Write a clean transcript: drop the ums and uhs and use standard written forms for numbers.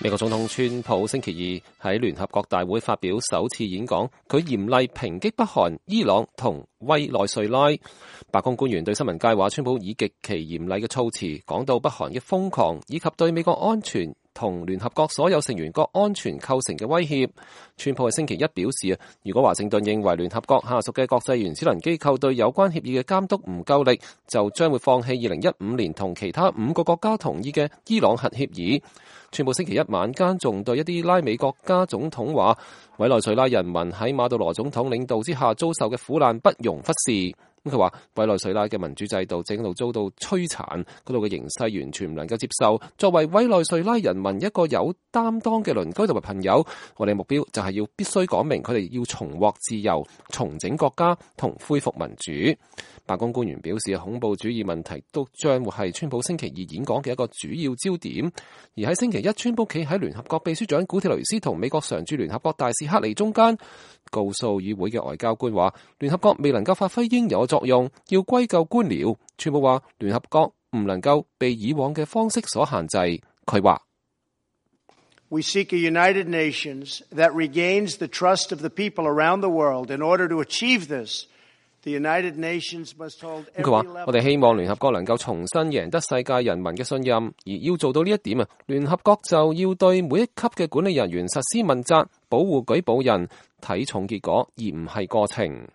美國總統川普星期二喺聯合國大會發表首次演講，佢嚴厲抨擊北韓、伊朗同委內瑞拉。白宮官員對新聞界話，川普以極其嚴厲嘅措辭講到北韓嘅瘋狂，以及對美國安全同聯合國所有成員國安全構成嘅威脅。川普喺星期一表示，如果華盛頓認為聯合國下屬嘅國際原子能機構對有關協議嘅監督唔夠力，就將會放棄2015年同其他5個國家同意嘅伊朗核協議。川普星期一晚間仲對一啲拉美國家總統話，委內瑞拉人民喺馬杜羅總統領導之下遭受嘅苦難不容忽視。佢話委內瑞拉嘅民主制度正喺度遭到摧殘，嗰度嘅形勢完全唔能夠接受。作為委內瑞拉人民一個有擔當嘅鄰居同埋朋友，我哋目標就係要必須講明佢哋要重獲自由、重整國家同恢復民主。白宮官員表示，恐怖主義問題都將會係川普星期二演講嘅一個主要焦點。而喺星期一，川普企喺聯合國秘書長古鐵雷斯同美國常駐聯合國大使克里中間，告訴議會嘅外交官話，聯合國未能夠發揮應有嘅作用，要歸咎官僚。川普話，聯合國唔能夠被以往嘅方式所限制。佢話：We seek a United Nations that regains the trust of the people around the world. In order to achieve this, the United Nations must hold every level. 佢話：我哋希望聯合國能夠重新贏得世界人民嘅信任，而要做到呢一點聯合國就要對每一級嘅管理人員實施問責，保護舉報人，睇重結果而唔係過程。